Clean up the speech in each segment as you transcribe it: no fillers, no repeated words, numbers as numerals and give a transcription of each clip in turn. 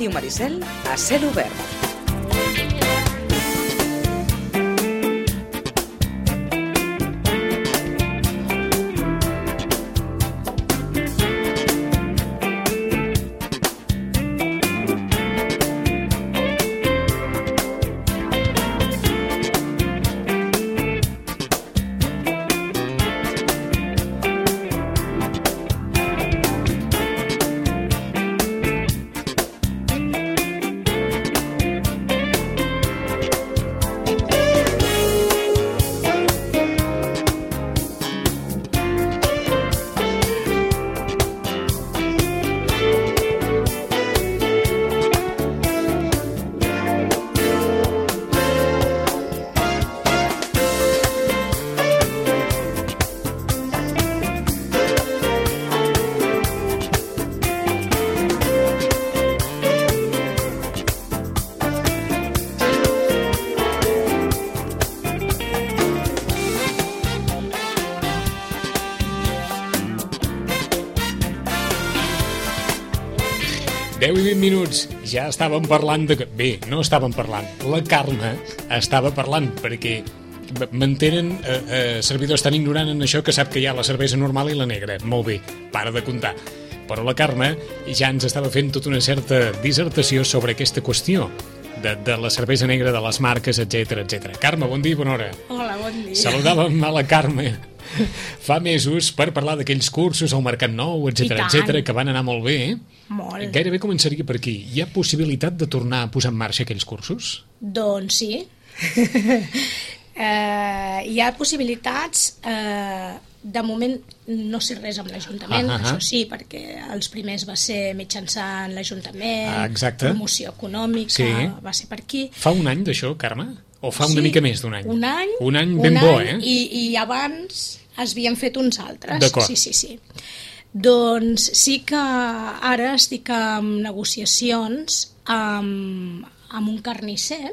Ràdio Maricel a cel obert. I 20 minuts, ja estàvem parlant de... Bé, no estàvem parlant. La Carme estava parlant, perquè mantenen servidors tan ignorant en això que sap que hi ha la cervesa normal i la negra. Molt bé, para de comptar. Però la Carme ja ens estava fent tota una certa dissertació sobre aquesta qüestió de la cervesa negra, de les marques, etc etc. Carme, bon dia i bona hora. Hola, bon dia. Saludàvem a la Carme fa mesos per parlar d'aquells cursos al Mercat Nou, etc etc, que van anar molt bé. Molt. Gairebé començaria per aquí. Hi ha possibilitat de tornar a posar en marxa aquells cursos? Doncs sí. Hi ha possibilitats. De moment no sé res amb l'Ajuntament, això sí, perquè els primers va ser mitjançant l'Ajuntament, promoció econòmica, va ser per aquí. Fa un any d'això, Carme? O fa una mica més d'un any? Un any. Un any ben bo, eh? I abans es havien fet uns altres. D'acord. Sí. Doncs sí que ara estic en negociacions amb un carnisser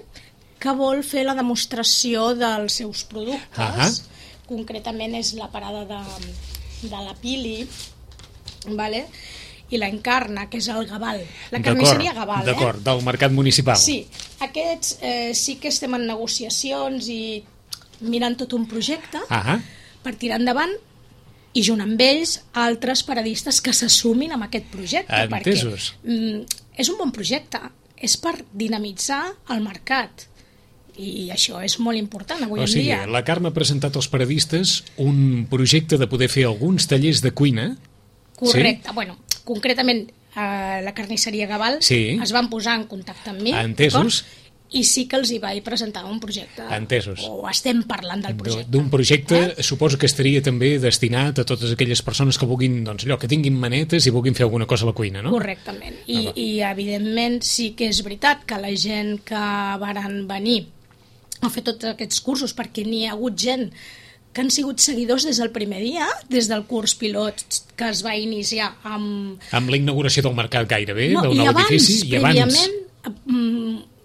que vol fer la demostració dels seus productes. Concretament és la parada de la Pili, vale? I l'Encarna, que és el Gabal. La carnisseria Gabal, D'acord, del mercat municipal. Sí, aquests sí que estem en negociacions i mirant tot un projecte per tirar endavant i junt amb ells altres paradistes que s'assumin amb aquest projecte. Entesos. Perquè és un bon projecte, és per dinamitzar el mercat. I això és molt important avui en dia. O sigui, la Carme ha presentat als paradistes un projecte de poder fer alguns tallers de cuina. Correcte. Bueno, concretament la carnisseria Gabal es van posar en contacte amb mi. Entesos. I sí que els hi vaig presentar un projecte. Entesos. O estem parlant del projecte. D'un projecte, suposo que estaria també destinat a totes aquelles persones que vulguin, doncs allò, que tinguin manetes i vulguin fer alguna cosa a la cuina, no? Correctament. I evidentment sí que és veritat que la gent que varen venir a fer tots aquests cursos, perquè n'hi ha hagut gent que han sigut seguidors des del primer dia, des del curs pilot que es va iniciar amb la inauguració del mercat gairebé, del nou edifici, i abans,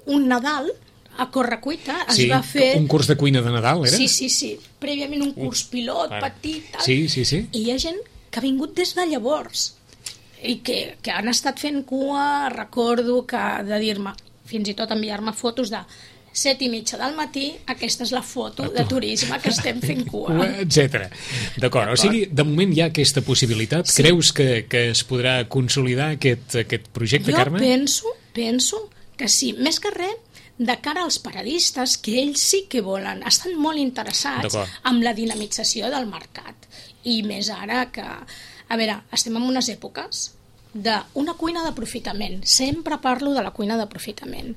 un Nadal a Correcuita es va fer... un curs de cuina de Nadal, era? Sí. Prèviament un curs pilot, petit, tal. Sí. I hi ha gent que ha vingut des de llavors i que han estat fent cua. Recordo que de dir-me, fins i tot enviar-me fotos de 7:30 del matí, aquesta és la foto de turisme que estem fent cua. Etcètera. D'acord. O sigui, de moment hi ha aquesta possibilitat. Sí. Creus que es podrà consolidar aquest projecte, Carme? Jo penso que sí. Més que res, de cara als paradistes, que ells sí que volen, estan molt interessats amb la dinamització del mercat. I més ara que... A veure, estem en unes èpoques d'una cuina d'aprofitament. Sempre parlo de la cuina d'aprofitament.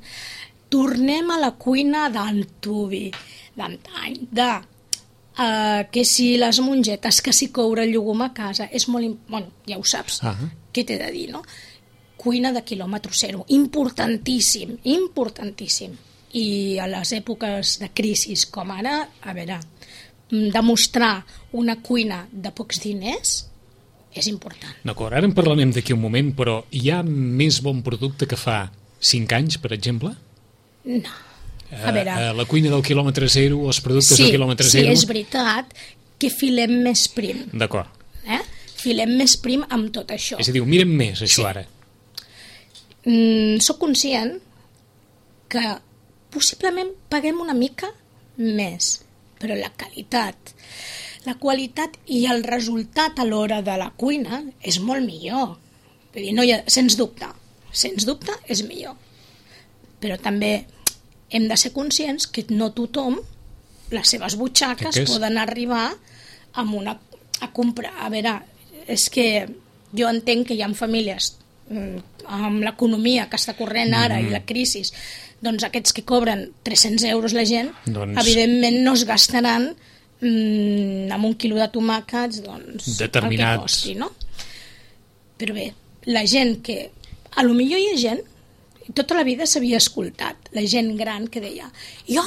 Tornem a la cuina d'antuvi, d'antany, que si les mongetes, que si coure el llugum a casa, és molt... Bueno, ja ho saps, què t'he de dir, no? Cuina de quilòmetre zero, importantíssim. I a les èpoques de crisi com ara, a veure, demostrar una cuina de pocs diners és important. D'acord, ara en parlarem d'aquí un moment, però hi ha més bon producte que fa 5 anys, per exemple? No. A veure... la cuina del quilòmetre zero, els productes del quilòmetre zero... Sí, és veritat que filem més prim. D'acord. Filem més prim amb tot això. És a dir, ho mirem més, això ara. Soc conscient que possiblement paguem una mica més, però la qualitat i el resultat a l'hora de la cuina és molt millor. Vull dir, no hi ha, sens dubte és millor. Però també hem de ser conscients que no tothom, les seves butxaques poden arribar a comprar. A veure, és que jo entenc que hi ha famílies amb l'economia que està corrent ara i la crisi, doncs aquests que cobren 300 euros la gent, evidentment no es gastaran amb un quilo de tomàquets determinats. el que costi, no? Però bé, la gent que... A lo millor hi ha gent, tota la vida s'havia escoltat, la gent gran que deia jo,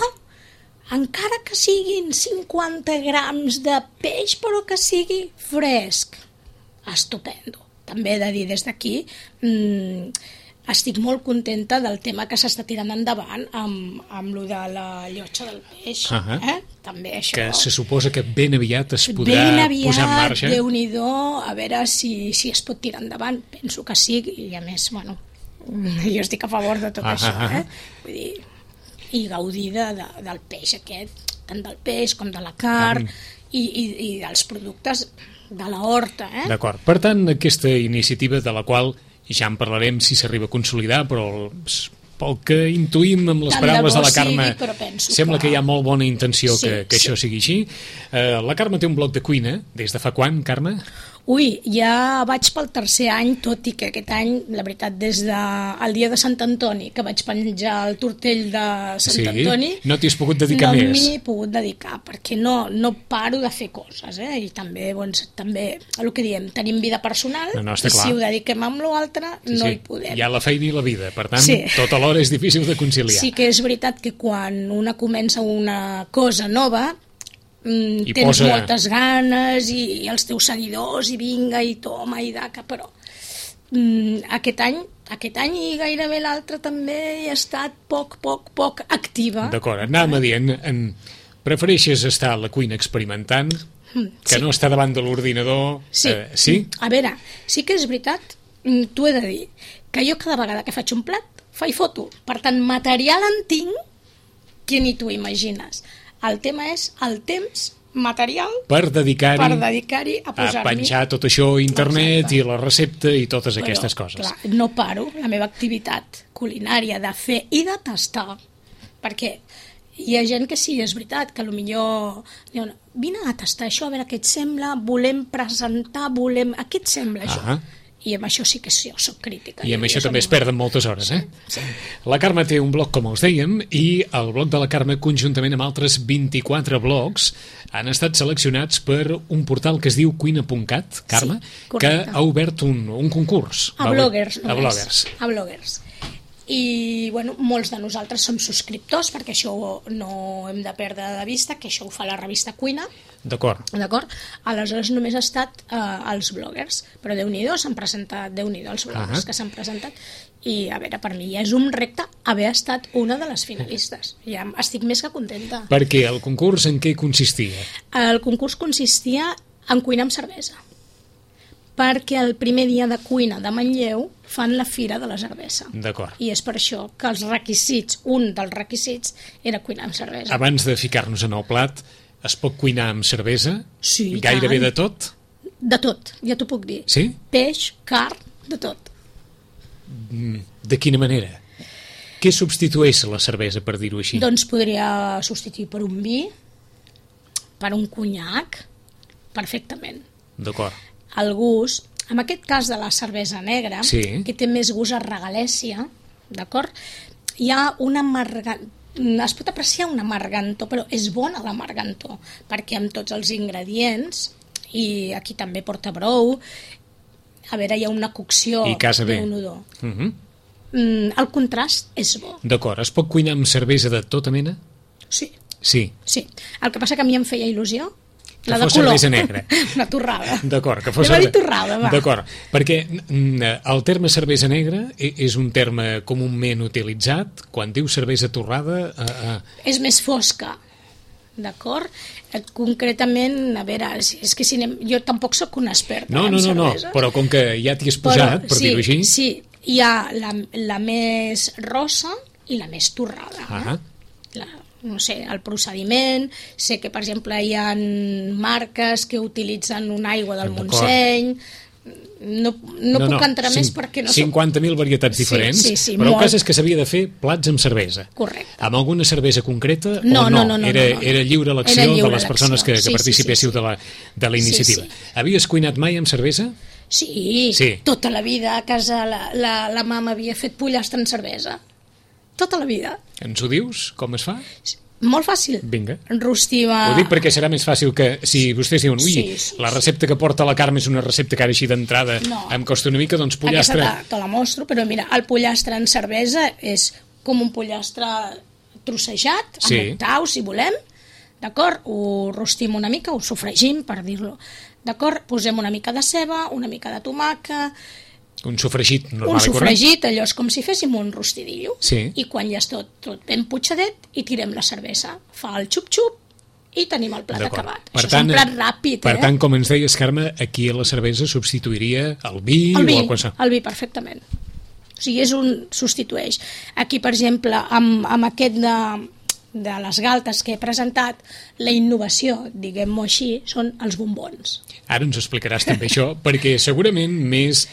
encara que siguin 50 grams de peix, però que sigui fresc, estupendo. També he de dir des d'aquí, estic molt contenta del tema que s'està tirant endavant amb lo de la llotja del peix. També això. Que se suposa que ben aviat es podrà posar en marxa. Déu-n'hi-do, a veure si es pot tirar endavant. Penso que sí, i a més, bueno, jo estic a favor de tot això. Vull dir, i gaudir del peix aquest, tant del peix com de la carn i dels productes de la horta. D'acord. Per tant, aquesta iniciativa de la qual ja en parlarem si s'arriba a consolidar, però pel que intuïm amb les paraules de la Carme, sembla que hi ha molt bona intenció que això sigui així. La Carme té un blog de cuina. Des de fa quan, Carme? Ui, ja vaig pel tercer any, tot i que aquest any, la veritat, des del dia de Sant Antoni, que vaig penjar el tortell de Sant Antoni... No t'hi has pogut dedicar més. No m'hi he pogut dedicar, perquè no paro de fer coses, i també, el que diem, tenim vida personal, i si ho dediquem amb l'altre, no hi podem. Hi ha la feina i la vida, per tant, tot alhora és difícil de conciliar. Sí que és veritat que quan una comença una cosa nova, tens moltes ganes i els teus seguidors i vinga i toma i daca, però aquest any i gairebé l'altre també he estat poc activa. D'acord, anàvem dient, prefereixes estar a la cuina experimentant que no estar davant de l'ordinador? Sí? A veure, sí que és veritat, t'ho he de dir, que jo cada vegada que faig un plat faig foto, per tant material en tinc que ni t'ho imagines. El tema és el temps material per dedicar-hi a posar-hi... A penjar tot això a internet i la recepta i totes aquestes coses. Clar, no paro la meva activitat culinària de fer i de tastar, perquè hi ha gent que sí, és veritat, que potser diuen, vine a tastar això, a veure què et sembla, volem presentar, a què et sembla això? I amb això sí que jo soc crítica. I amb això també es perden moltes hores, Sí. La Carme té un blog, com els dèiem, i el blog de la Carme, conjuntament amb altres 24 blogs, han estat seleccionats per un portal que es diu cuina.cat, Carme, que ha obert un concurs. A bloggers. A bloggers. A bloggers. I, bueno, molts de nosaltres som subscriptors, perquè això no hem de perdre de vista, que això ho fa la revista Cuina. D'acord. Aleshores només ha estat els bloggers, però Déu-n'hi-do, s'han presentat, els bloggers que s'han presentat, i a veure, per mi ja és un repte haver estat una de les finalistes. Ja estic més que contenta. Perquè el concurs en què consistia? El concurs consistia en cuinar amb cervesa, perquè el primer dia de cuina de Manlleu fan la Fira de la Cervesa. D'acord. I és per això que els requisits, un dels requisits, era cuinar amb cervesa. Abans de ficar-nos en el plat, es pot cuinar amb cervesa? Sí, gairebé de tot? De tot, ja t'ho puc dir. Sí? Peix, carn, de tot. De quina manera? Què substitueix la cervesa, per dir-ho així? Doncs podria substituir per un vi, per un conyac, perfectament. D'acord. El gust, en aquest cas de la cervesa negra, que té més gust a regalèssia, d'acord? Hi ha una es pot apreciar una amargantor, però és bona l'amargantor, perquè amb tots els ingredients, i aquí també porta brou, a veure, hi ha una cocció d'un odor. El contrast és bo. D'acord, es pot cuinar amb cervesa de tota mena? Sí. El que passa que a mi em feia il·lusió la de color. Cervesa negra. Una torrada. D'acord, que fos torrada, va. D'acord, perquè el terme cervesa negra és un terme comúment utilitzat. Quan diu cervesa torrada... És més fosca, d'acord? Concretament, a veure, és que jo tampoc sóc una experta en cervesa. No, però com que ja t'hi has posat, per dir-ho així... Sí, hi ha la més rossa i la més torrada. No sé, el procediment, sé que per exemple hi ha marques que utilitzen una aigua del Montseny, no puc entrar més perquè no 50.000 varietats diferents, sí, però el cas és que s'havia de fer plats amb cervesa. Correcte. Amb alguna cervesa concreta no? Era lliure elecció de les persones que participéssiu de la iniciativa. Havies cuinat mai amb cervesa? Sí, tota la vida a casa la mama havia fet pollastre amb cervesa. Tota la vida. Ens ho dius? Com es fa? Molt fàcil. Vinga. Rostiva... Ho dic perquè serà més fàcil que si vostès diuen la recepta que porta la Carme és una recepta que ara així d'entrada em costa una mica, doncs pollastre... Aquesta te la mostro, però mira, el pollastre en cervesa és com un pollastre trossejat, amb octaus, si volem, d'acord? Ho rostim una mica, ho sofregim, per dir-lo, d'acord? Posem una mica de ceba, una mica de tomàquet... Un sofregit normal i correcte. Un sofregit, allò és com si féssim un rostidillo. Sí. I quan ja és tot ben putxadet, hi tirem la cervesa. Fa el xup-xup i tenim el plat acabat. Això és un plat ràpid, Per tant, com ens deies, Carme, aquí a la cervesa substituiria el vi o qualsevol. El vi, perfectament. O sigui, substitueix. Aquí, per exemple, amb aquest de les galtes que he presentat, la innovació, diguem-ho així, són els bombons. Ara ens explicaràs també això, perquè segurament més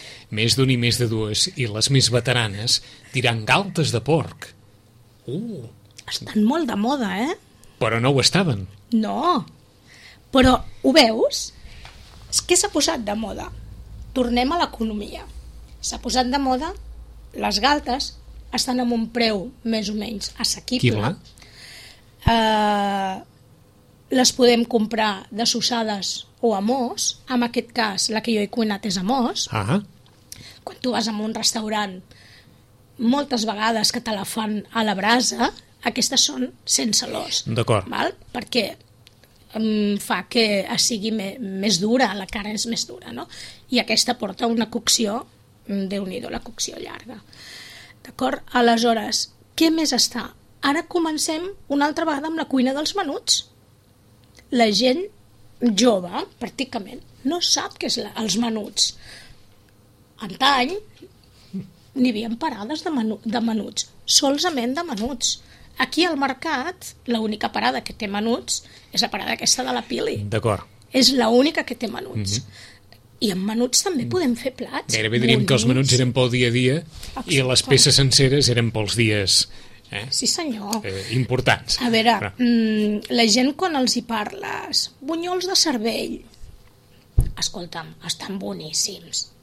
d'un i més de dues, i les més veteranes, diran galtes de porc. Estan molt de moda, Però no ho estaven. No, però ho veus? Què s'ha posat de moda? Tornem a l'economia. S'ha posat de moda, les galtes estan amb un preu més o menys assequible. Les podem comprar dessossades o a mos. En aquest cas, la que jo he cuinat és a mos. Quan tu vas a un restaurant, moltes vegades que te la fan a la brasa, aquestes són sense l'os. D'acord. Perquè fa que sigui més dura, la carn és més dura, no? I aquesta porta una cocció, Déu-n'hi-do, la cocció llarga. D'acord? Aleshores, què més està? Ara comencem una altra vegada amb la cuina dels menuts. La gent jove, pràcticament, no sap què és els menuts. Antany n'hi havia parades de menuts, solament de menuts. Aquí al mercat, l'única parada que té menuts és la parada aquesta de la Pili. D'acord. És l'única que té menuts. I amb menuts també podem fer plats. Gairebé diríem que els menuts eren pel dia a dia i les peces senceres eren pels dies... Sí, senyor. Importants. A veure, la gent quan els hi parles, bunyols de cervell, escolta'm, estan boníssims.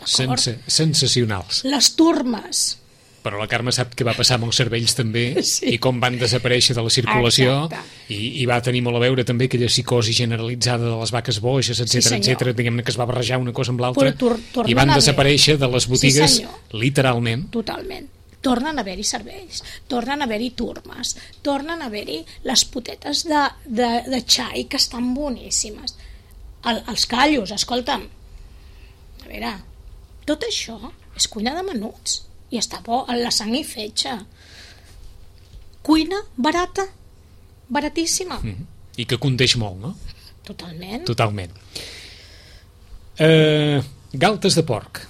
Sensacionals. Les turmes. Però la Carme sap què va passar amb els cervells també i com van desaparèixer de la circulació i va tenir molt a veure també aquella psicosi generalitzada de les vaques boixes, etc, diguem-ne que es va barrejar una cosa amb l'altra i van desaparèixer de les botigues literalment. Totalment. Tornen a haver-hi cervells, tornen a haver-hi turmes, tornen a haver-hi les potetes de xai que estan boníssimes. Els callos, escolta'm, a veure, tot això és cuina de menuts i està bo, la sang i fetge. Cuina barata, baratíssima. I que condeix molt, no? Totalment. Galtes de porc.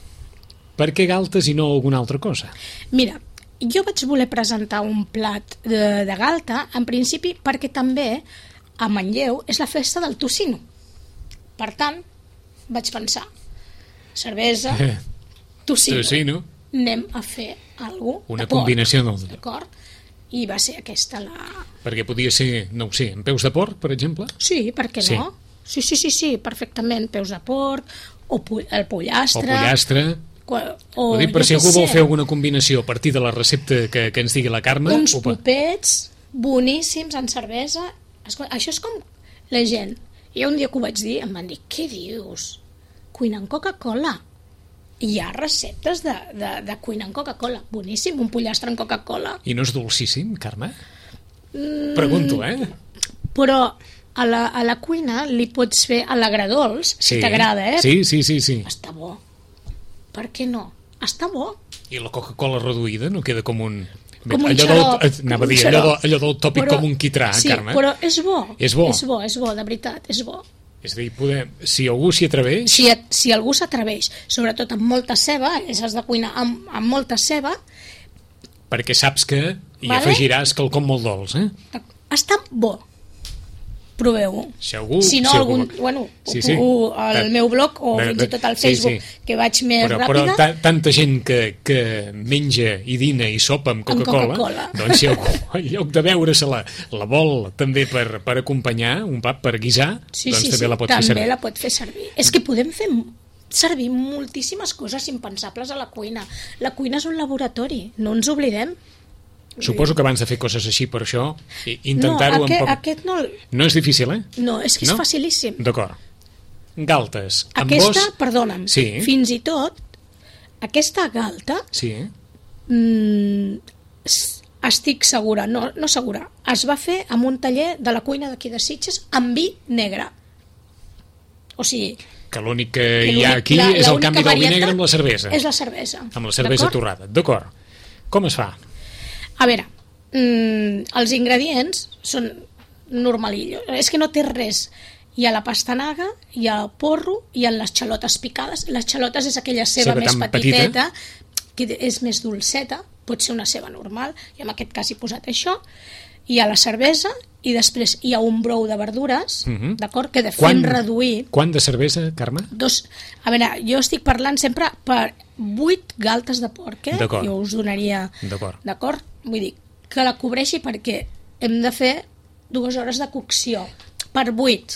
Per què galtes i no alguna altra cosa? Mira, jo vaig voler presentar un plat de galta, en principi perquè també a Manlleu és la festa del tocino. Per tant, vaig pensar, cervesa, tocino. Anem a fer alguna cosa una combinació d'acord? I va ser aquesta la... Perquè podia ser, no ho sé, amb peus de porc, per exemple? Sí, per què no? Sí, perfectament, peus de porc, o el pollastre... Ho dic per si algú vol fer alguna combinació a partir de la recepta que ens digui la Carme. Uns popets boníssims en cervesa. Això és com la gent. Jo un dia que ho vaig dir em van dir, què dius? Cuina amb Coca-Cola. Hi ha receptes de cuina amb Coca-Cola. Boníssim, un pollastre amb Coca-Cola. I no és dolcíssim, Carme? Pregunto, Però a la cuina li pots fer a l'agradolç, si t'agrada, Sí. Està bo. Per què no? Està bo. I la Coca-Cola reduïda no queda com un... Allò del tòpic com un quitrà, sí, Carme. Però és bo. És bo, de veritat, és bo. És a dir, si algú s'hi atreveix... Si algú s'atreveix, sobretot amb molta ceba, has de cuinar amb molta ceba... Perquè saps que hi afegiràs quelcom molt dolç, Està bo. Proveu-ho. Si no, al meu blog o fins i tot al Facebook, que vaig més ràpida... Però tanta gent que menja i dina i sopa amb Coca-Cola, doncs si algú, en lloc de beure-se la vol també per acompanyar, un pap per guisar, doncs també la pot fer servir. També la pot fer servir. És que podem fer servir moltíssimes coses impensables a la cuina. La cuina és un laboratori, no ens oblidem. Suposo que abans de fer coses així per això, intentar-ho... No, aquest no... No és difícil, No, és que és facilíssim. D'acord. Galtes. Aquesta, perdona'm, fins i tot, aquesta galta... Sí. Estic segura, no segura, es va fer amb un taller de la cuina d'aquí de Sitges amb vi negre. O sigui... Que l'únic que hi ha aquí és el canvi del vi negre amb la cervesa. És la cervesa. Amb la cervesa torrada. D'acord. Com es fa? A veure, els ingredients són normalillos. És que no té res. Hi ha la pastanaga, hi ha el porro, hi ha les xalotes picades. Les xalotes és aquella ceba més petiteta, que és més dolceta, pot ser una ceba normal, i en aquest cas he posat això. Hi ha la cervesa i després hi ha un brou de verdures, d'acord, que fem reduir... Quant de cervesa, Carme? A veure, jo estic parlant sempre per 8 galtes de porc, jo us donaria... D'acord? Vull dir, que la cobreixi perquè hem de fer 2 hores de cocció per 8.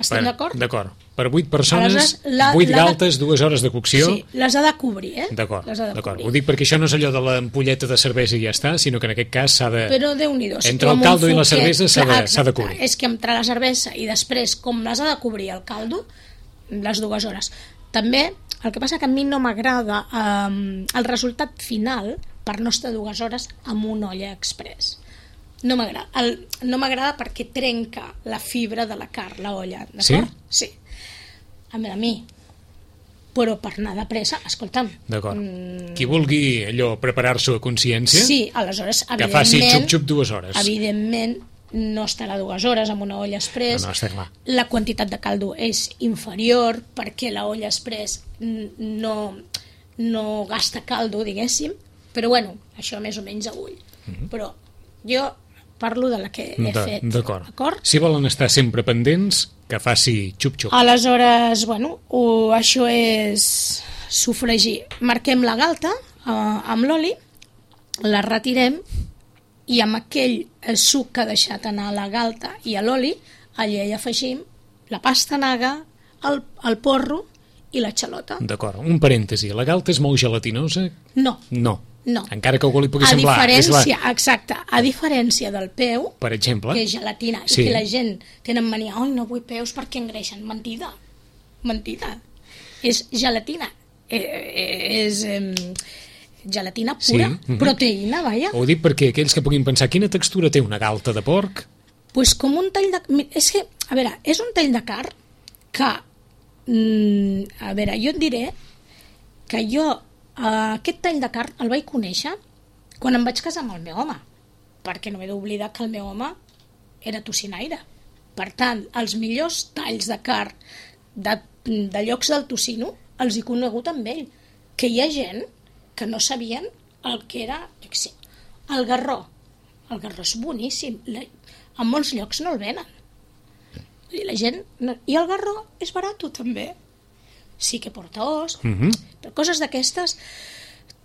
Estem d'acord? D'acord. Per 8 persones, 8 galtes, 2 hores de cocció... Sí, les ha de cobrir, D'acord. Ho dic perquè això no és allò de l'ampolleta de cervesa i ja està, sinó que en aquest cas s'ha de... Però Déu-n'hi-do. Entre el caldo i la cervesa s'ha de cobrir. És que entre la cervesa i després, com les ha de cobrir el caldo, les 2 hores. També, el que passa que a mi no m'agrada el resultat final per no estar 2 hores amb una olla express. No m'agrada. No m'agrada perquè trenca la fibra de la carn, la olla. D'acord? Sí. A mi. Però per anar de pressa, escolta'm... D'acord. Qui vulgui allò preparar-s'ho a consciència... Sí, aleshores, evidentment... Que faci xup-xup 2 hores. Evidentment, no estarà 2 hores amb una olla express. No, està clar. La quantitat de caldo és inferior perquè la olla express no gasta caldo, diguéssim. Però bueno, això més o menys a ull. Però jo parlo de la que he fet. D'acord. Si volen estar sempre pendents, que faci xup-xup. Aleshores, bueno, això és sofregir. Marquem la galta amb l'oli, la retirem i amb aquell suc que ha deixat anar la galta i a l'oli, allà hi afegim la pastanaga, el porro i la xalota. D'acord. Un parèntesi. La galta és molt gelatinosa? No. No. Encara que algú li pugui semblar. Exacte. A diferència del peu, per exemple, que és gelatina, i que la gent tenen mania, no vull peus perquè engreixen. Mentida. És gelatina. És gelatina pura, proteïna, vaja. Ho dic perquè aquells que puguin pensar quina textura té una galta de porc... Pues com un tall de... És que, a veure, és un tall de carn que... a veure, jo et diré que jo aquest tall de carn el vaig conèixer quan em vaig casar amb el meu home, perquè no m'he d'oblidar que el meu home era tocinaire. Per tant, els millors talls de carn de llocs del tocino els he conegut amb ell, que hi ha gent que no sabien el que era el garró. El garró és boníssim, en molts llocs no el venen i la gent i el garró és barat també, sí que porta os, però coses d'aquestes,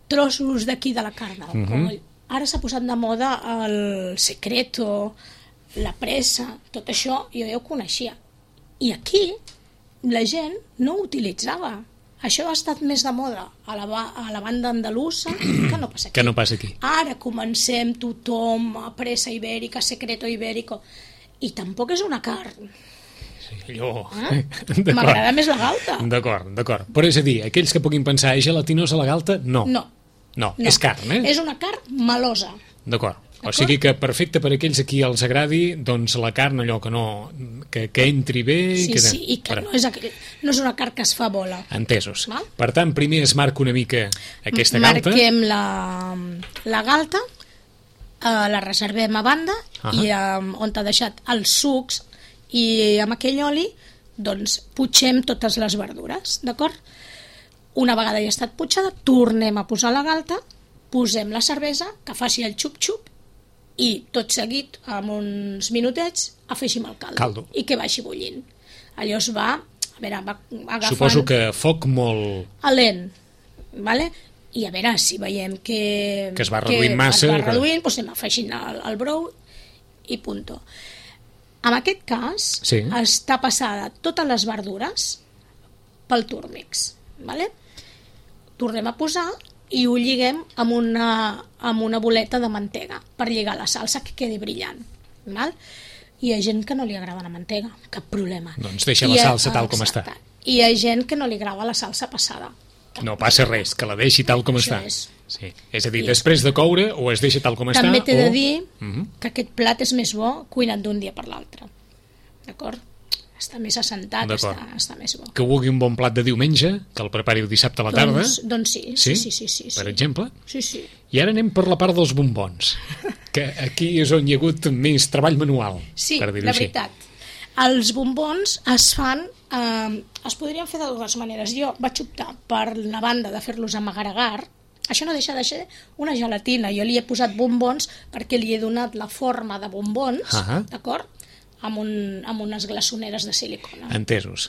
trossos d'aquí de la carn del coll. Ara s'ha posat de moda el secreto, la pressa, tot això jo ja ho coneixia i aquí la gent no ho utilitzava. Això ha estat més de moda a la banda andalusa que no passa aquí. Ara comencem tothom a pressa ibèrica, secreto ibèrico, i tampoc és una carn. M'agrada més la galta. D'acord. Però és a dir, aquells que puguin pensar és gelatinosa la galta, no, és carn, És una carn melosa. D'acord. O sigui que perfecte per aquells a qui els agradi, doncs la carn allò que entri bé... I que no és una carn que es fa bola. Entesos. Per tant, primer es marca una mica aquesta galta. Marquem la galta, la reservem a banda i on t'ha deixat els sucs I amb aquell oli doncs putxem totes les verdures, d'acord? Una vegada ja ha estat putxada, tornem a posar la galta, posem la cervesa, que faci el xup-xup, i tot seguit, amb uns minutets, afegim el caldo. I que vagi bullint. Allò es va, a veure, va agafant... Suposo que foc molt... A lent, vale? I a veure, si veiem que es va reduint massa... Es va reduint, doncs anem afegint el brou i punto. En aquest cas, està passada totes les verdures pel Turmix, vale? Tornem a posar i ho lliguem amb una boleta de mantega per lligar la salsa que quedi brillant, val? Hi ha gent que no li agrada la mantega, cap problema. Doncs deixa la salsa tal com està. Hi ha gent que no li agrada la salsa passada. No passa res, que la deixi tal com està. Sí. És a dir, després de coure o es deixa tal com està... També t'he de dir que aquest plat és més bo cuinat d'un dia per l'altre. D'acord? Està més assentat, està més bo. Que vulgui un bon plat de diumenge, que el prepari dissabte a la tarda... Doncs sí. Per exemple? Sí. I ara anem per la part dels bombons, que aquí és on hi ha hagut més treball manual, per dir-ho així. Sí, la veritat. Els bombons es fan... es podrien fer de dues maneres. Jo vaig optar per la banda de fer-los amb agar-agar. Això no deixa de ser una gelatina. Jo li he posat bombons perquè li he donat la forma de bombons, d'acord? Amb unes glaçoneres de silicona. Entesos.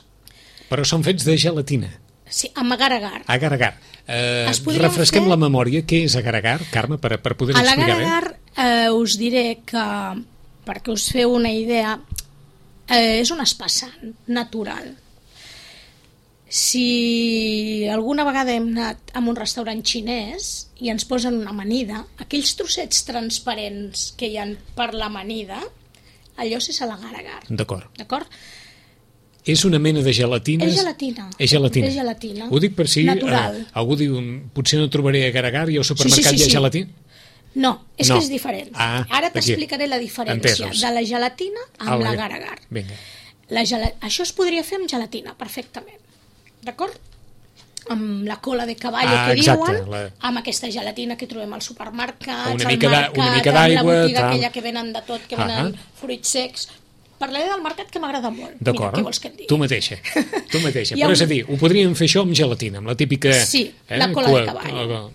Però són fets de gelatina. Sí, amb agar-agar. Agar-agar. Refresquem la memòria. Què és agar-agar, Carme, per poder explicar bé? L'agar-agar us diré que, perquè us feu una idea, és un espassant natural. Si alguna vegada hem anat a un restaurant xinès i ens posen una amanida, aquells trossets transparents que hi ha per l'amanida, allò és l'agar-agar. D'acord. És una mena de gelatina? És gelatina. És gelatina. Ho dic per si algú diu, potser no trobaré agar-agar i al supermercat hi ha gelatina? No, és que és diferent. Ara t'explicaré la diferència de la gelatina amb l'agar-agar. Això es podria fer amb gelatina, perfectament. D'acord? Amb la cola de cavall que diuen, amb aquesta gelatina que trobem als supermercats, una mica d'aigua, amb la botiga aquella que venen de tot, que venen fruits secs. Parlaré del mercat, que m'agrada molt. D'acord, què vols que et digui? tu mateixa. Però és a dir, ho podríem fer això amb gelatina, amb la típica... Sí, la cola de cavall.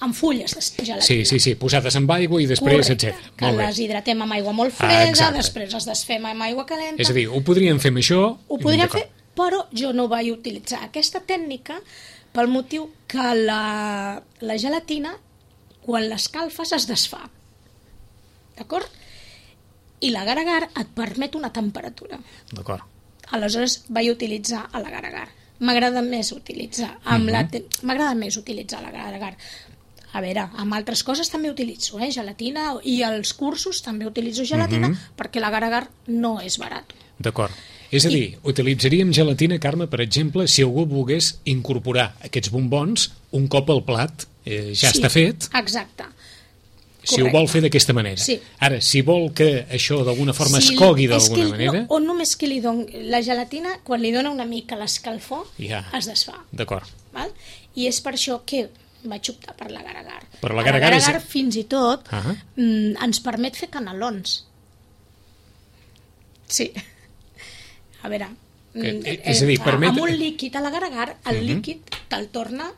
Amb fulles de gelatina. Sí, posades amb aigua i després, etc. Que les hidratem amb aigua molt freda, després les desfem amb aigua calenta. És a dir, ho podríem fer amb això... Ho podríem fer, però jo no vaig utilitzar aquesta tècnica pel motiu que la gelatina, quan l'escalfes, es desfà. D'acord? I l'agar-agar et permet una temperatura. D'acord. Aleshores vaig utilitzar l'agar-agar. M'agrada més utilitzar l'agar-agar. A veure, amb altres coses també utilitzo gelatina, i als cursos també utilitzo gelatina, perquè l'agar-agar no és barat. D'acord. És a dir, utilitzaríem gelatina, Carme, per exemple, si algú volgués incorporar aquests bombons un cop el plat ja està fet. Exacte. Si ho vol fer d'aquesta manera. Ara, si vol que això d'alguna forma es cogui d'alguna manera... O només que li doni la gelatina, quan li dona una mica l'escalfor, es desfà. D'acord. I és per això que vaig optar per l'agar-agar. Però l'agar-agar fins i tot ens permet fer canelons. Sí. A veure... És a dir, permet... Amb un líquid a l'agar-agar, el líquid te'l torna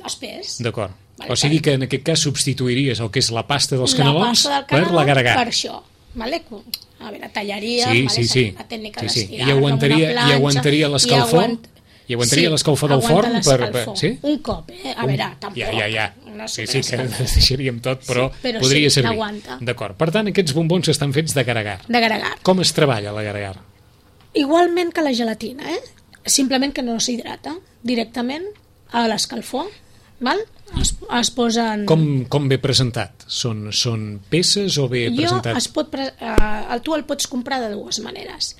espès. D'acord. O sigui que en aquest cas substituiries el que és la pasta dels canelons per l'agar-agar. Per això. A veure, tallaria la tècnica d'estirar. I aguantaria l'escalfor? I aguantaria l'escalfor del forn? Un cop, a veure, tampoc. Ja. Sí, que deixaríem tot, però podria servir. D'acord. Per tant, aquests bombons estan fets d'agar-agar. Com es treballa l'agar-agar? Igualment que la gelatina, simplement que no s'hidrata directament a l'escalfor. Es posen... Com ve presentat? Són peces o ve presentat? Tu el pots comprar de dues maneres.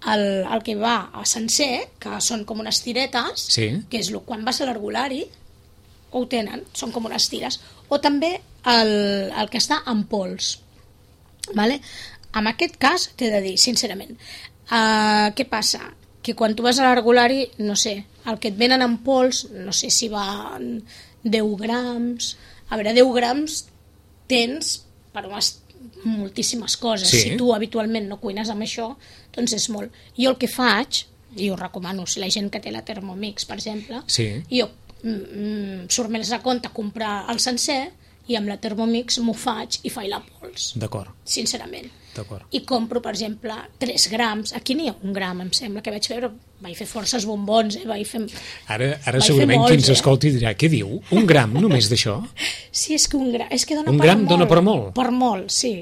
El que va a sencer, que són com unes tiretes, que és quan vas a l'herbolari, ho tenen, són com unes tires, o també el que està en pols. En aquest cas, t'he de dir, sincerament, què passa? Que quan tu vas a l'herbolari, no sé, el que et venen en pols, no sé si va 10 grams... A veure, 10 grams tens per moltíssimes coses. Sí. Si tu habitualment no cuines amb això, doncs és molt. Jo el que faig, i ho recomano, si la gent que té la Thermomix, per exemple, Sí. jo surt més a compte comprar el sencer i amb la Thermomix m'ho faig i faig la pols, D'acord, sincerament. d'acord. I compro, per exemple, 3 grams. Aquí n'hi ha 1 gram, em sembla, que vaig fer, però vaig fer forces bombons, vaig fer... Ara vaig segurament fer molts, qui ens escolti dirà, què diu? 1 gram només d'això? Sí, és que 1 gram, és que dona Un per gram molt. dona per molt? Per molt, sí.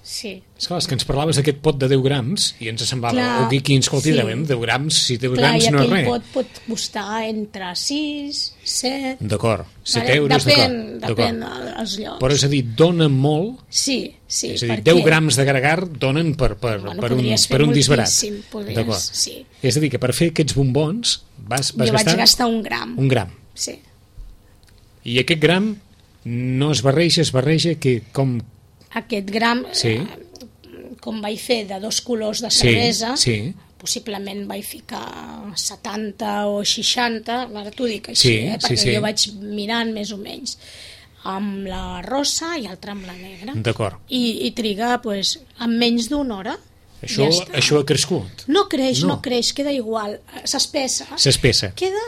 Sí. Esclar, és que ens parlaves d'aquest pot de 10 grams i ens semblava, Clar, qui ens escolti, sí. 10 grams, si 10 Clar, grams i no és aquell res. pot costar entre 6, 7... D'acord, 7 Vale? euros, Depèn d'acord. dels llocs. Però és a dir, dona molt, Sí, sí. és a dir, perquè... 10 grams d'agragar donen per podries fer un disbarat. moltíssim, podries, D'acord. sí. És a dir, que per fer aquests bombons vas Jo vaig gastar gastar 1 gram. 1 gram. Sí. I aquest gram no es barreja que com... Aquest gram, Sí. Com vaig fer de 2 colors de Sí, cervesa, sí. possiblement vaig ficar 70 o 60, ara t'ho dic així, Sí, perquè sí. jo vaig mirant més o menys, amb la rosa i altra amb la negra. D'acord. I triga, doncs, en menys d'una hora. Això, ja està. això ha crescut. No creix, No. no creix, queda igual. S'espessa. S'espessa. Queda...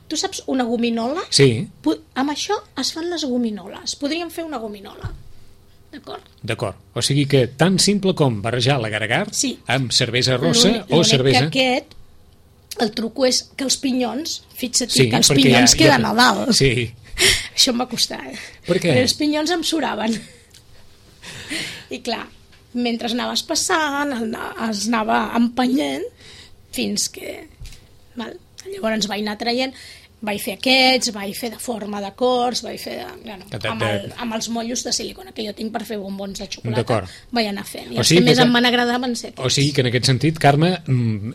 tu saps una gominola? Sí, Amb això es fan les gominoles. Podríem fer una gominola. D'acord? d'acord. O sigui que tan simple com barrejar l'agragar Sí. amb cervesa rossa o L'únic cervesa... que aquest, el truco és que els pinyons, fixa't Sí, que els perquè pinyons queden a dalt. Sí. Això em va costar. Per què? Però els pinyons em suraven. I clar, mentre anaves passant, es anava empenyent fins que... Val? Llavors vaig anar traient, vaig fer aquests, vaig fer de forma de cors, vaig fer amb els mollos de silicona que jo tinc per fer bombons de xocolata. D'acord. Vaig anar fent. I O els sigui que més que- em van agradar van ser O aquests. sigui que en aquest sentit, Carme,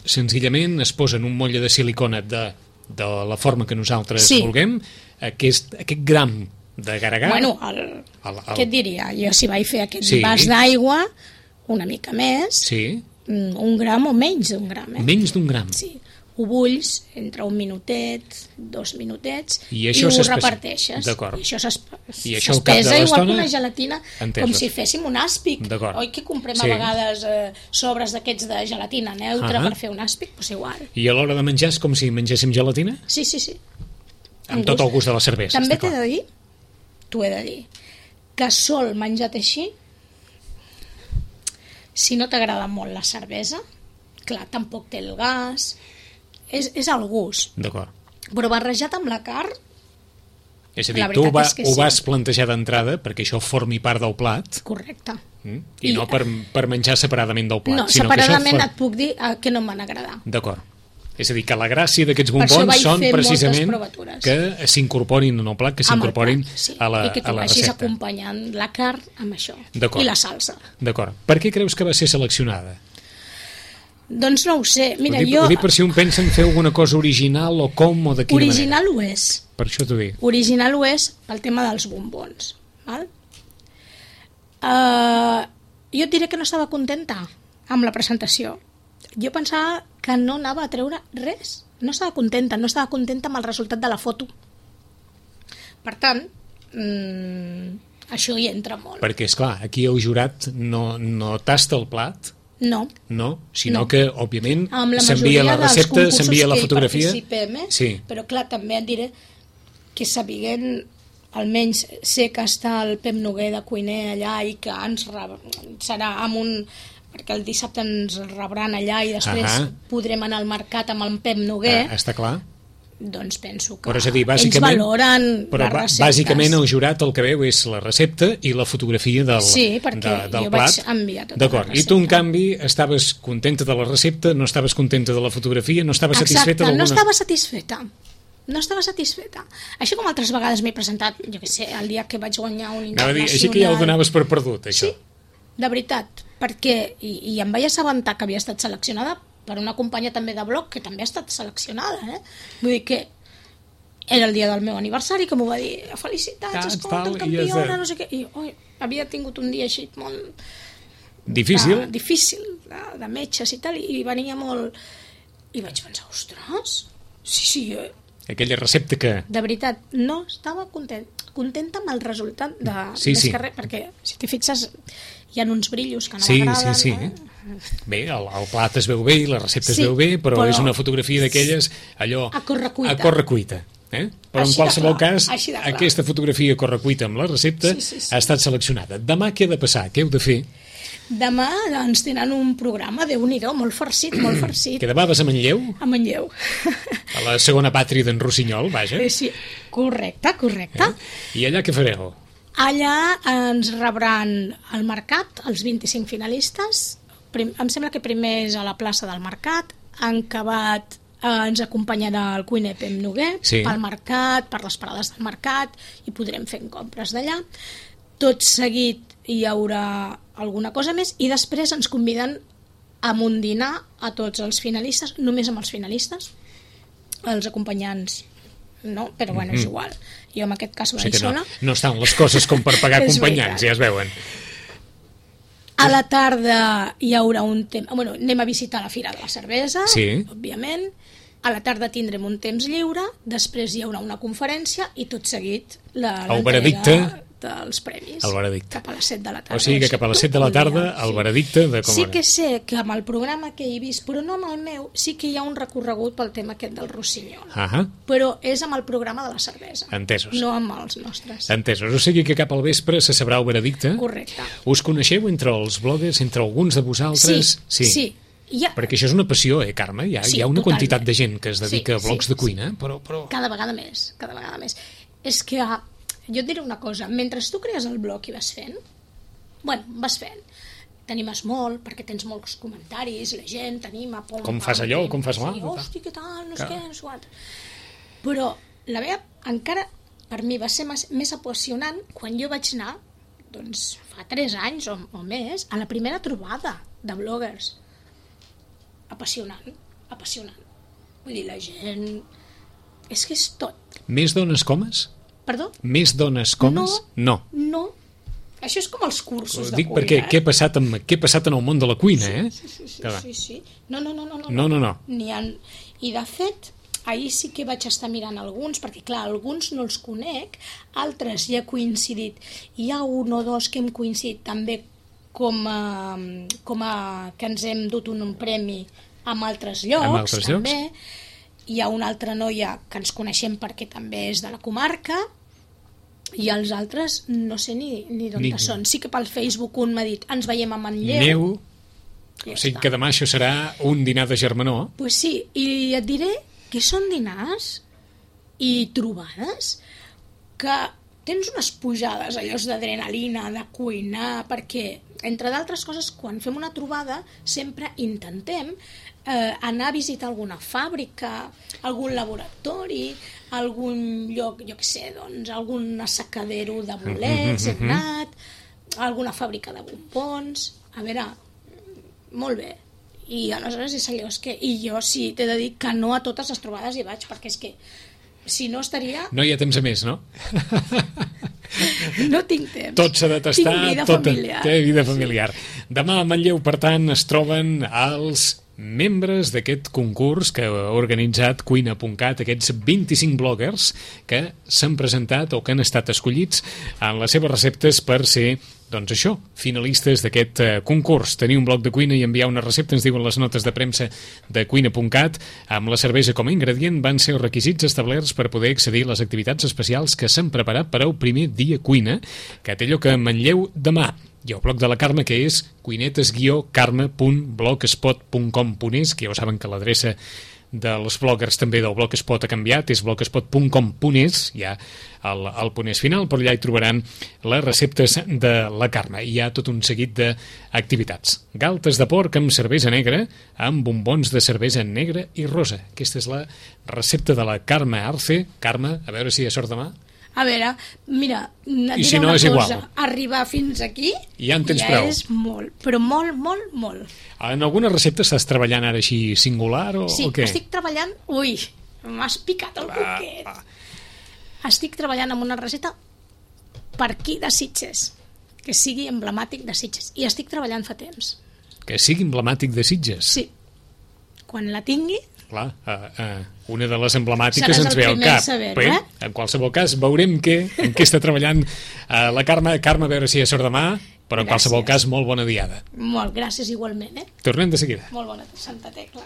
senzillament es posa en un motlle de silicona de la forma que nosaltres Sí. vulguem, aquest gram d'agragar... Bueno, què et diria? Jo si vaig fer aquest vas d'aigua, una mica més, Sí, 1 gram o menys d'1 gram. menys d'1 gram. Sí, ho bulls entre 1 minutet, 2 minutets I i això ho s'espessa. reparteixes. D'acord. I això I això al cap de s'espesa igual l'estona, que una gelatina, entesos. com si féssim un àspic. D'acord. Oi que comprem Sí. a vegades sobres d'aquests de gelatina neutra per fer un àspic? Doncs igual. I a l'hora de menjar és com si mengéssim gelatina? Sí, sí, sí. Amb tot el gust de la cervesa. També està t'he clar. de dir, t'ho he de dir, que sol menjat així, si no t'agrada molt la cervesa, clar, tampoc té el gas, és el gust. D'acord. Però barrejat amb la carn, És a dir, La tu veritat és que ho sí. vas plantejar d'entrada perquè això formi part del plat correcte. i no per menjar separadament del plat. No, sinó que separadament això et puc dir que no em van agradar. D'acord. És a dir, que la gràcia d'aquests Per això bombons vaig són fer moltes precisament provatures. que s'incorporin en el plat, que Amb el s'incorporin plat, sí. a la I que tu vagis recepta. acompanyant la carn amb això. D'acord. I la salsa. D'acord. Per què creus que va ser seleccionada? Doncs no ho sé. Mira, Ho dic per si un pensa en fer alguna cosa original o com o de quina original manera. ho és. Per això t'ho dic. Original ho és pel tema dels bombons. Val? Jo et diré que no estava contenta amb la presentació. Jo pensava que no anava a treure res. No estava contenta amb el resultat de la foto. Per tant, això hi entra molt. Perquè, és clar, aquí el jurat no tasta el plat, No. no, sinó No. que, òbviament, Amb la s'envia majoria la dels recepta, concursos s'envia la que hi fotografia... participem, Sí, però clar, també et diré que sabent, almenys sé que està el Pep Noguer de cuiner allà i que serà amb un... perquè el dissabte ens rebran allà i després podrem anar al mercat amb el Pep Noguer, està clar. doncs penso que Però és a dir, ells bàsicament, valoren però les receptes. bàsicament el jurat el que veu és la recepta i la fotografia del perquè jo plat. vaig enviar tota D'acord. la I tu, en recepta. canvi, estaves contenta de la recepta, no estaves contenta de la fotografia, no estaves satisfeta Exacte, d'alguna... no estava satisfeta. Així com altres vegades m'he presentat, jo què sé, el dia que vaig guanyar un Anava a dir, internacional... així que ja ho donaves per perdut, això. Sí, de veritat, perquè i em vaig assabentar que havia estat seleccionada per una companya també de blog que també ha estat seleccionada, Vull dir que era el dia del meu aniversari, que m'ho va dir, felicitats, escolta, tal, i campiona, ja no sé què, i havia tingut un dia així molt... Difícil? Difícil, de metges i tal, i venia molt... I vaig pensar, ostres, sí, Aquella recepta que... De veritat, no estava contenta amb el resultat de Sí. perquè, si t'hi fixes, hi ha uns brillos que no Sí. Bé, el plat es veu bé i la recepta es veu bé, però és una fotografia d'aquelles, allò... A correcuita. A correcuita. Però en qualsevol cas, aquesta fotografia a correcuita amb la recepta ha estat seleccionada. Demà què ha de passar? Què heu de fer? Demà ens tenen un programa, Déu-n'hi-do, molt farcit, molt farcit. Que demà vas a Manlleu? A Manlleu. A la segona pàtria d'en Rossinyol, vaja. Sí, correcte. I allà què fareu? Allà ens rebran al Mercat els 25 finalistes. Em sembla que primer és a la plaça del Mercat. En acabat ens acompanyarà el cuiner Pep Noguer pel Mercat, per les parades del Mercat, i podrem fer compres d'allà. Tot seguit hi haurà alguna cosa més i després ens conviden a un dinar a tots els finalistes, només amb els finalistes, els acompanyants no, però bueno, és igual, jo en aquest cas vaig sola. No estan les coses com per pagar acompanyants, ja es veuen. A la tarda hi haurà un temps, anem a visitar la Fira de la Cervesa, òbviament. A la tarda tindrem un temps lliure, després hi haurà una conferència i tot seguit l'entrega dels premis. El veredicte. Cap a les 7 de la tarda. O sigui que cap a les 7 de la tarda el veredicte de com... Sí que sé que amb el programa que he vist, però no amb el meu, sí que hi ha un recorregut pel tema aquest del Rossinyol. Però és amb el programa de la cervesa. Entesos. No amb els nostres. Entesos. O sigui que cap al vespre se sabrà el veredicte. Correcte. Us coneixeu entre els bloggers, entre alguns de vosaltres? Sí. Perquè això és una passió, Carme? Hi ha una quantitat de gent que es dedica a blogs de cuina, però... Cada vegada més. És que... Jo et diré una cosa, mentre tu crees el blog i vas fent, t'animes molt, perquè tens molts comentaris, la gent t'anima... Com fas allò, com fas l'altre. Sí, hosti, què tal, no sé què, no sé quant. Però la meva, encara, per mi va ser més apassionant quan jo vaig anar, doncs, fa 3 anys o més, a la primera trobada de bloggers. Apassionant. Vull dir, la gent... És que és tot. Més dones comes? Perdó? Més dones comes? No. Això és com els cursos de cuina. Dic perquè què ha passat en el món de la cuina, Sí. No. I de fet, ahir sí que vaig estar mirant alguns, perquè clar, alguns no els conec, altres ja he coincidit. Hi ha un o dos que hem coincidit també com a que ens hem dut un premi amb altres llocs, també. Hi ha una altra noia que ens coneixem perquè també és de la comarca, i els altres no sé ni d'on són. Sí que pel Facebook un m'ha dit ens veiem a Manlleu. O sigui que demà això serà un dinar de germanor. Pues sí, i et diré que són dinars i trobades que tens unes pujades allò d'adrenalina, de cuinar, perquè, entre d'altres coses, quan fem una trobada sempre intentem anar a visitar alguna fàbrica, algun laboratori, algun lloc, jo què sé, doncs, algun assecadero de bolets, hem anat, alguna fàbrica de bombons, a veure, molt bé. I aleshores és allò, i jo sí, t'he de dir que no a totes les trobades hi vaig, perquè és que si no estaria... No hi ha temps a més, no? No tinc temps. Tot s'ha de tastar. Tinc vida familiar. Té vida familiar. Demà a Manlleu, per tant, es troben els membres d'aquest concurs que ha organitzat Cuina.cat, aquests 25 bloggers que s'han presentat o que han estat escollits en les seves receptes per ser, doncs això, finalistes d'aquest concurs. Tenir un blog de cuina i enviar una recepta, ens diuen les notes de premsa de Cuina.cat, amb la cervesa com a ingredient, van ser els requisits establerts per poder accedir a les activitats especials que s'han preparat per al primer dia cuina, que té lloc a Manlleu demà. Hi ha el blog de la Carme, que és cuinetes-carme.blogspot.com.es, que ja ho saben que l'adreça dels bloggers també del Blogspot ha canviat, és blogspot.com.es, hi ha el punt és final, però allà hi trobaran les receptes de la Carme. Hi ha tot un seguit d'activitats. Galtes de porc amb cervesa negra, amb bombons de cervesa negra i rosa. Aquesta és la recepta de la Carme Arce. Carme, a veure si hi ha sort demà. A veure, mira, et diré una cosa, igual. Arribar fins aquí ja en tens prou. És molt, però molt. En alguna recepta estàs treballant ara així singular o què? Sí, estic treballant... Ui, m'has picat el coquet. Estic treballant en una recepta per aquí de Sitges, que sigui emblemàtic de Sitges, i estic treballant fa temps. Que sigui emblemàtic de Sitges? Sí. Quan la tingui, clar, una de les emblemàtiques seràs ens ve al cap. Saber, En qualsevol cas, veurem en què està treballant la Carme. Carme, a veure si ja sort demà, però en qualsevol cas, molt bona diada. Molt, gràcies igualment. Tornem de seguida. Molt bona, Santa Tecla.